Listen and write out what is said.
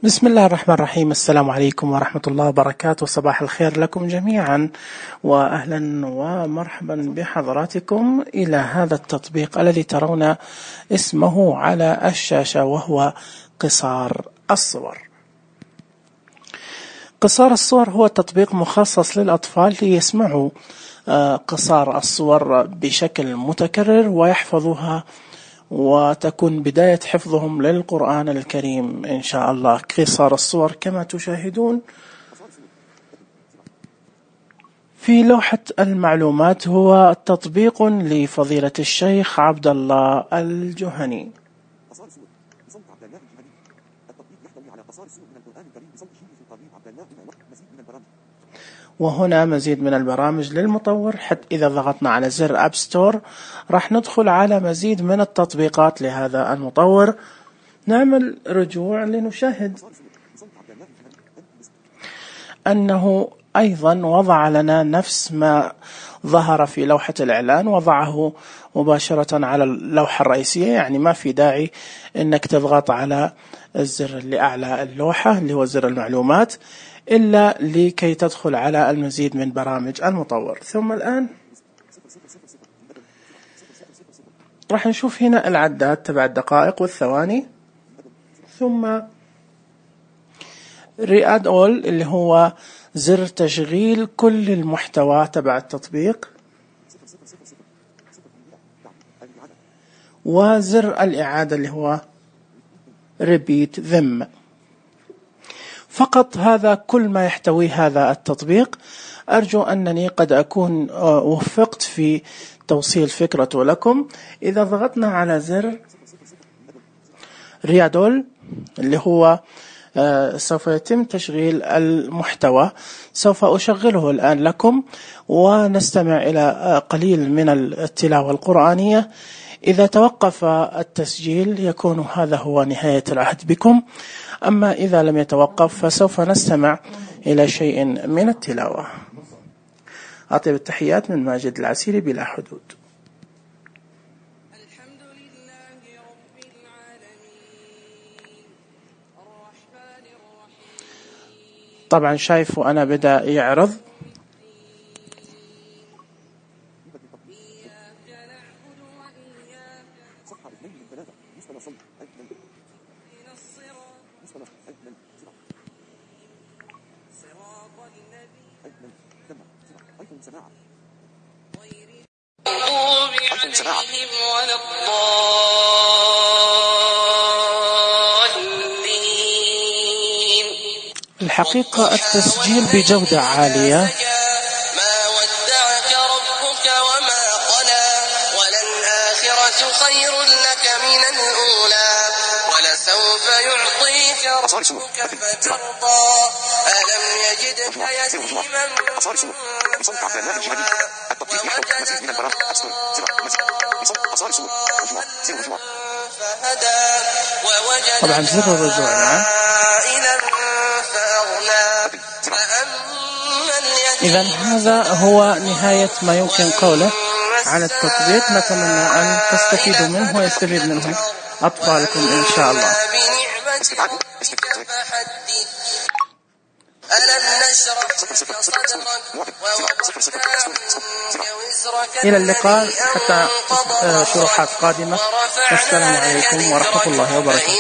بسم الله الرحمن الرحيم. السلام عليكم ورحمة الله وبركاته. صباح الخير لكم جميعا، وأهلا ومرحبا بحضراتكم إلى هذا التطبيق الذي ترون اسمه على الشاشة، وهو قصار الصور. قصار الصور هو تطبيق مخصص للأطفال ليسمعوا قصار الصور بشكل متكرر ويحفظوها، وتكون بداية حفظهم للقرآن الكريم إن شاء الله. قصار الصور كما تشاهدون في لوحة المعلومات هو تطبيق لفضيلة الشيخ عبد الله الجهني. وهنا مزيد من البرامج للمطور، حتى إذا ضغطنا على زر أب ستور راح ندخل على مزيد من التطبيقات لهذا المطور. نعمل رجوع لنشاهد أنه أيضا وضع لنا نفس ما ظهر في لوحة الإعلان، وضعه مباشرة على اللوحة الرئيسية، يعني ما في داعي أنك تضغط على الزر اللي أعلى اللوحة اللي هو زر المعلومات إلا لكي تدخل على المزيد من برامج المطور. ثم الآن راح نشوف هنا العداد تبع الدقائق والثواني، ثم رياد أول اللي هو زر تشغيل كل المحتوى تبع التطبيق، وزر الإعادة اللي هو repeat them. فقط هذا كل ما يحتويه هذا التطبيق. أرجو أنني قد أكون وفقت في توصيل فكرته لكم. إذا ضغطنا على زر ريادول اللي هو سوف يتم تشغيل المحتوى، سوف أشغله الآن لكم ونستمع إلى قليل من التلاوة القرآنية. إذا توقف التسجيل يكون هذا هو نهاية العهد بكم، أما إذا لم يتوقف فسوف نستمع إلى شيء من التلاوة. أطيب التحيات من ماجد العسيري بلا حدود. الحمد لله رب العالمين الرحمن الرحيم. طبعا شايف وأنا بدأ يعرض. الحقيقة التسجيل بجودة عالية. ما ودعك ربك وما قلى وللآخرة خير لك من الأولى ولسوف يعطيك ربك فترضى ألم يجدك يتيما طبعا زر الرجوع. إذا هذا هو نهاية ما يمكن قوله عن التطبيق. نتمنى أن تستفيدوا منه ويستفيد منه أطفالكم إن شاء الله. إلى اللقاء حتى شروحات قادمة. السلام عليكم ورحمة الله وبركاته.